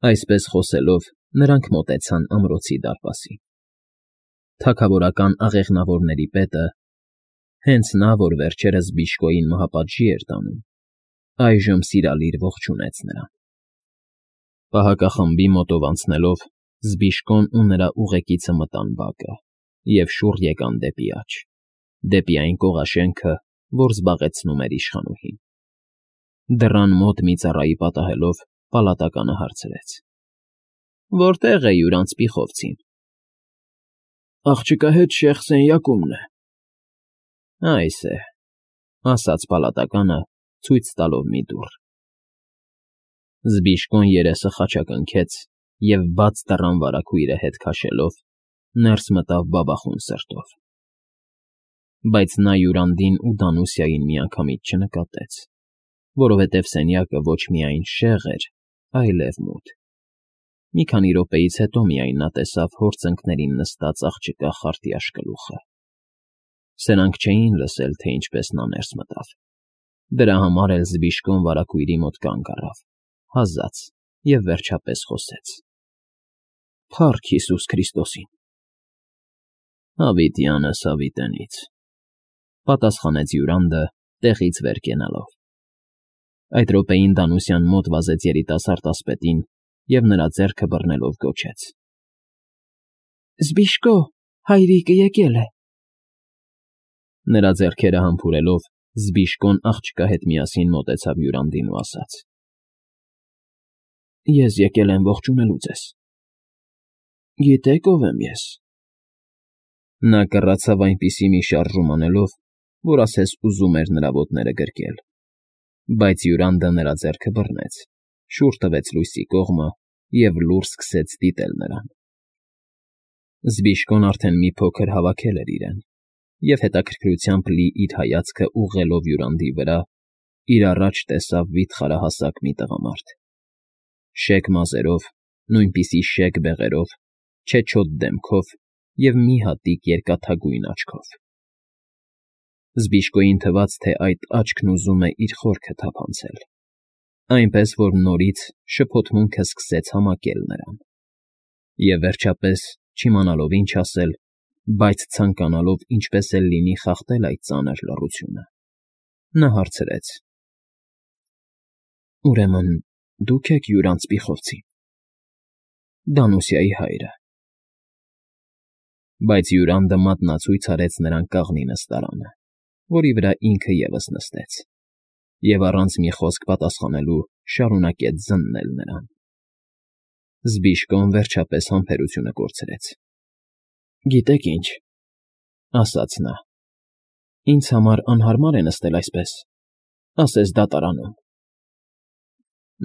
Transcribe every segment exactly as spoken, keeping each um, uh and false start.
Այսպես խոսելով, նրանք մոտեցան ամրոցի դարպասին. թագավորական աղեղնավորների պետը, հենց նա, որ վերջերս Բիժկոյին մահապատժի էր տանում, այժմ սիրալիր ողջունեց նրան։ Պահակախմբի մոտով անցնելով, Զբիժկոն ու նրա ուղեկիցը մտան բակը և շուռ եկան դեպի աջ, դեպի այն կողաշենքը, որ զբաղեցնում էր իշխանուհին։ Դռան մոտ մի ծառայի պատահելով, պալատականը հարցրեց. Որտե՞ղ է հյուր անծպիխովցին։ Աղջկա հետ շեխ սենյակումն է։ Այս է, ասաց պալատականը, ցույց տալով մի դուռ։ Զբիժկոն երեսը խաչակնքեց և բաց դռան վարագույրը հետ քաշելով, ներս մտավ բաբախուն սրտով։ Բայց նա Յուրանդին ու Դանուսիային միանգամից չնկատեց, որովհետև սենյակը ոչ միայն շեղ էր, այլև մութ։ Մի քանի րոպեից հետո միայն նա տեսավ հոր ծնկներին նստած աղջկա խարտի աշկլուխը։ Սրանք չէին լսել, թե ինչպես նա ներս մտավ։ Դրա համար էլ Զբիժկոն վարագույրի մոտ կանգ առավ, հազաց և վերջապես խոսեց. Փառք Հիսուս Քրիստոսին։ Հավիտյանս հավիտենից, պատասխանեց Յուրանդը, տեղից վեր կենալով։ Այդ րոպեին Դանուսյան մոտ վազեց երիտասարդ ասպետին և նրա ձեռքը բռնելով գոչեց. Զբիժկո, հայրիկը եկել է։ Նրա ձեռքերը համբուրելով, Զբիժկոն աղջկա հետ միասին մոտեցավ Յուրանդին ու ասաց. Ես եկել եմ ողջունելու ձեզ։ Գիտե՞ք ով եմ ես։ Նա կռացավ այնպիսի մի շարժում անելով, որ ասես ուզում էր նրա ոտները գրկել, բայց Յուրանդը նրա ձեռքը բռնեց, շուռ տվեց լույսի կողմը և լուռ սկսեց դիտել նրան։ Զբիժկոն արդեն մի փոքր հավաքել էր իրեն և հետաքրքրությամբ լի իր հայացքը ուղղելով Յուրանդի վրա, իր առաջ տեսավ վիթխարահասակ մի տղամարդ, շեկ մազերով, նույնպիսի շեկ բեղերով, չեչոտ դեմքով և մի հատիկ երկաթագույն աչքով։ Զբիժկոյին թվաց, թե այդ աչքն ուզում է իր խորքը թափանցել, այնպես որ նորից շփոթմունքը սկսեց համակել նրան։ Եվ վերջապես, չիմանալով ինչ ասել, բայց ցանկանալով ինչպես էլ լինի խախտել այդ ծանր լռությունը, նա հարցրեց. Ուրեմն դուք եք հյուր անծպիխովցին, Դանուսիայի հայրը։ Բայց Յուրանդը մատնացույց արեց նրան կաղնի նստարանը, որի վրա ինքը ևս նստեց, և առանց մի խոսք պատասխանելու շարունակեց զննել նրան։ Զբիժկոն վերջապես համբերությունը կորցրեց։ Գիտեք ինչ, ասաց նա, ինձ համար անհարմար է նստել այսպես, ասես դատարանում։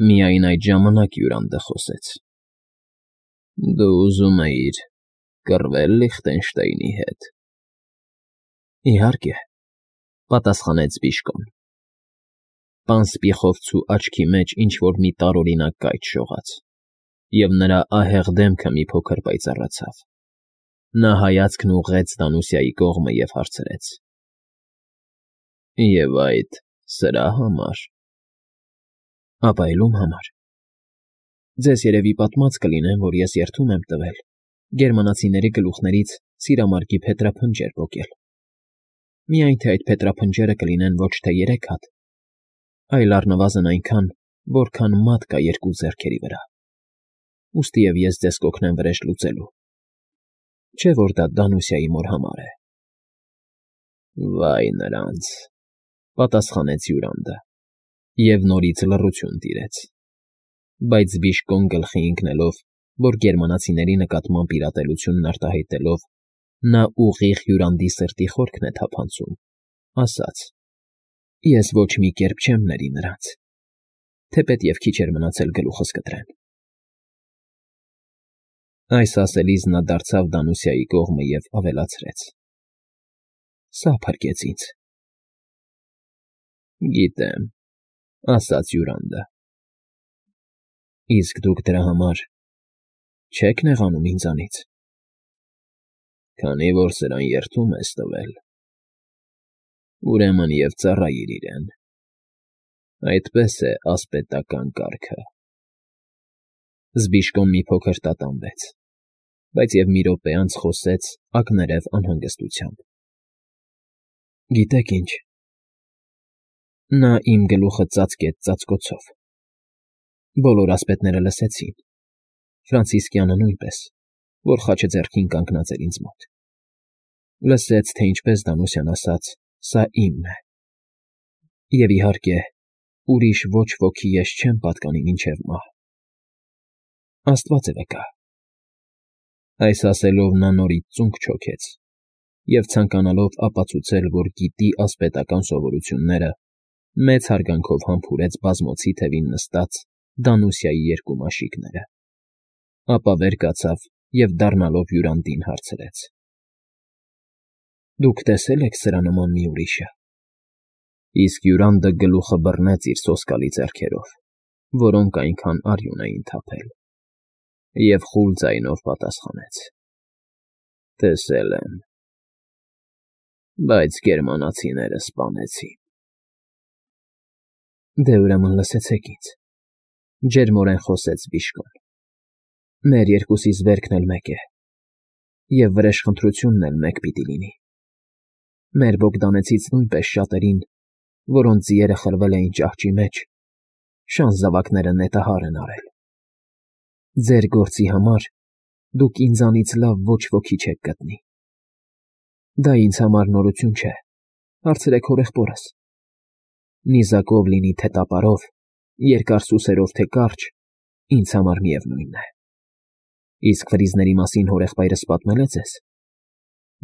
Միայն այդ ժամանակ Յուրանդը խոսեց. Դու ուզում էիր կռվե՞լ Լիխտենշտեյնի հետ։ Իհարկե, պատասխանեց Զբիժկոն։ Պան Սպիխովցու աչքի մեջ ինչ֊որ մի տարօրինակ կայծ շողաց, և նրա ահեղ դեմքը մի փոքր պայծառացավ։ Նա հայացքն ուղղեց Դանուսիայի կողմը և հարցրեց. Եվ այդ սրա համար։ Ապայլում համար։ Ձեզ երևի պատմած կլինեմ, որ ես երդում եմ տվել գերմանացիների գլուխներից սիրամարգի փետրափնջեր պոկել։ Միայն թե այդ փետրափնջերը կլինեն ոչ թե երեք հատ, այլ առնվազն այնքան, որքան մատ կա երկու ձեռքերի վրա։ Ուստի և ես ձեզ կօգնեմ վրեժ լուծելու։ Չէ՞ որ դա Դանուսիայի մոր համար է։ Վայ նրանց, պատասխանեց Յուրանդը, և նորից լռություն տիրեց։ Բայց Զբիժկոն գլխի ընկնելով, որ գերմանացիների նկատմամբ իր ատելությունն արտահայտելով, նա ուղիղ Յուրանդի սրտի խորքն է թափանցում, ասաց. Ես ոչ մի կերպ չեմ ների նրանց, թեպետ և քիչ էր մնացել գլուխս կտրեն։ Այս ասելիս նա դարձավ Դանուսիայի կողմը և ավելացրեց. Սա փրկեց ինձ։ Գիտեմ, ասաց Յուրանդը։ Իսկ դուք դրա համար չե՞ք նեղանում ինձանից։ Քանի որ սրան երդում ես տվել, ուրեմն և ծառայիր իրեն։ Այդպես է ասպետական կարգը։ Զբիշկոն մի փոքր տատանվեց, բայց և մի րոպե անց խոսեց ակներև անհանգստությամբ. Գիտեք ինչ, նա իմ գլուխը ծածկեց ծածկոցով, բոլոր ասպետները լսեցին, Ֆրանցիսկյանը նույնպես, որ խաչը ձեռքին կանգնած էր ինձ մոտ, լսեց, թե ինչպես Դանուսյան ասաց. «Սա իմն է», և, իհարկե, ուրիշ ոչ ոքի ես չեմ պատկանի մինչև մահ։ Աստված է վկա։ Այս ասելով նա նորից ծունկ չոքեց և, ցանկանալով ապացուցել, որ գիտի ասպետական սովորությունները, մեծ հարգանքով համբուրեց բազմոցի թևին նստած Դանուսիայի երկու մաշիկները, ապա վեր կացավ և, դառնալով հյուրանդին, հարցրեց. Դուք տեսե՞լ եք սրա նման մի ուրիշը։ Իսկ հյուրանդը գլուխը բռնեց իր սոսկալի ձեռքերով, որոնք այնքան արյուն էին թափել, և խուլ ձայնով պատասխանեց. Տեսել եմ, բայց գերմանացիները սպանեցին։ Դե ուրեմն լսեցեք ինձ, ջերմորեն խոսեց Բիժկոն. Մեր երկուսիս վերքն էլ մեկ է, և վրեժխնդրությունն էլ մեկ պիտի լինի։ Մեր Բոգդանեցից նույնպես շատերին, որոնց ձիերը խրվել էին ճահճի մեջ, շան զավակները նետահար են արել։ Ձեր գործի համար դուք ինձանից լավ ոչ ոքի չեք գտնի։ Դա ինձ համար նորություն չէ, հարցրեք հորեղբորս։ Նիզակով լինի, թե տապարով, երկար սուսերով, թե կարճ, ինձ համար միևնույն է։ Իսկ ֆրիզների մասին հորեղբայրս պատմել է ձեզ։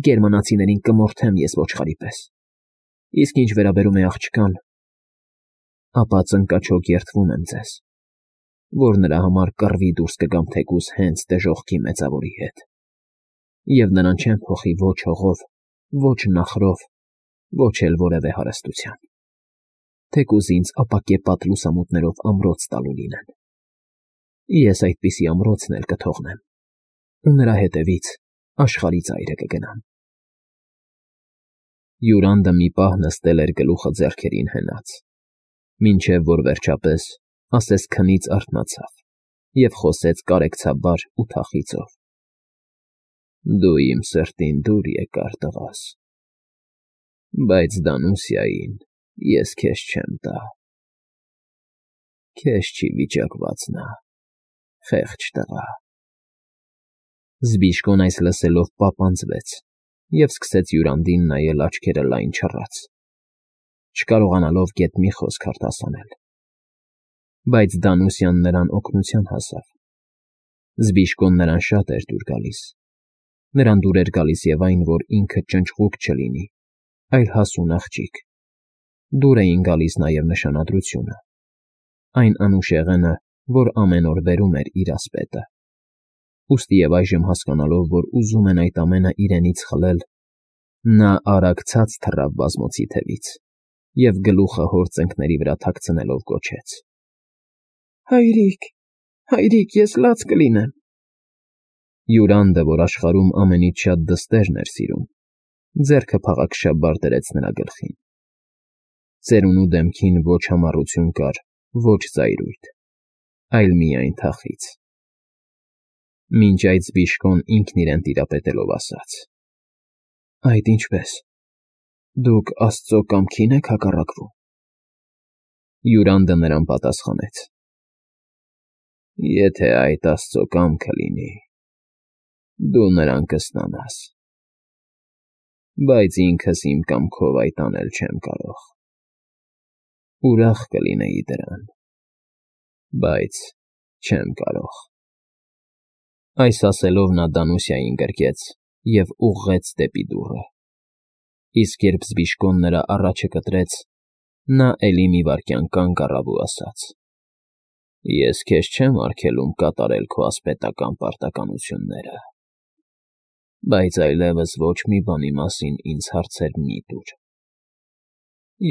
Գերմանացիներին կմորթեմ ես ոչխարի պես, իսկ ինչ վերաբերում է աղջկան, ապա ծնկաչոք երդվում եմ ձեզ, որ նրա համար կռվի դուրս կգամ թեկուզ հենց դժոխքի մեծավորի հետ, և նրան չեմ փոխի ոչ հողով, ոչ նախրով, ոչ էլ որևէ հարստությամբ, թեկուզ ինձ ապակեպատ լուսամուտներով ամրոց տալու լինեն։ Ես այդպիսի ամրոցն էլ կթողնեմ, ու նրա հետևից աշխարհի ծայրը կգնամ։ Հյուրանդը մի պահ նստել էր գլուխը ձեռքերին հենած, մինչև որ վերջապես ասես քնից արթնացավ և խոսեց կարեկցաբար ու թախիծով. Դու իմ սրտին դուր եկար, տղաս, բայց Դանուսիային ես քեզ չեմ տա։ Քեզ չի վիճակված նա, խեղճ տղա։ Զբիշկոն այս լսելով պապանձվեց և սկսեց հյուրանդին նայել աչքերը լայն չռած, չկարողանալով գեթ մի խոսք արտասանել։ Բայց Դանուսյան նրան օգնության հասավ։ Զբիշկոն նրան շատ էր դուր գալիս։ Նրան դուր էր գալիս և այն, որ ինքը ճնճղուկ չլինի, այլ հասուն աղջիկ։ Դուր էին գալիս նաև նշանադրությունը, այն անուշեղենը, որ ամեն օր բերում էր իր ասպետը։ Ուստի և այժմ հասկանալով, որ ուզում են այդ ամենը իրենից խլել, նա արագ ցած թռավ բազմոցի թևից և գլուխը հոր ծնկների վրա թաքցնելով գոչեց. Հայրիկ, հայրիկ, ես լաց կլինեմ։ Հյուրանդը, որ աշխարհում ամենից շատ դստերն էր սիրում, ձեռքը փաղաքշաբար դրեց նրա գլխին։ Ծերունու դեմքին ոչ համառություն կար, ոչ զայրույթ, այլ միայն թախիծ։ Մինչ այդ Զբիշկոն ինքն իրեն տիրապետելով ասաց. Այդ ինչպե՞ս, դուք աստծո կամքի՞ն եք հակառակվում։ Հյուրանդը նրան պատասխանեց. Եթե այդ աստծո կամքը լինի, դու նրան կստանաս, բայց ինքս իմ կամքով այդ անել չեմ կարող։ Ուրախ կլինեի դրան, բայց չեմ կարող։ Այս ասելով նա Դանուսիային գրկեց և ուղղեց դեպի դուռը, իսկ երբ Զբիշկոն նրա առաջը կտրեց, նա էլի մի վայրկյան կանգ առավ ու ասաց. Ես քեզ չեմ արգելում կատարել քո ասպետական պարտականությունները, բայց այլևս ոչ մի բանի մասին ինձ հարցեր մի՛ տուր։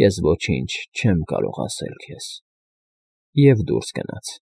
Ես ոչինչ չեմ կարող ասել քեզ, և դուրս գնաց։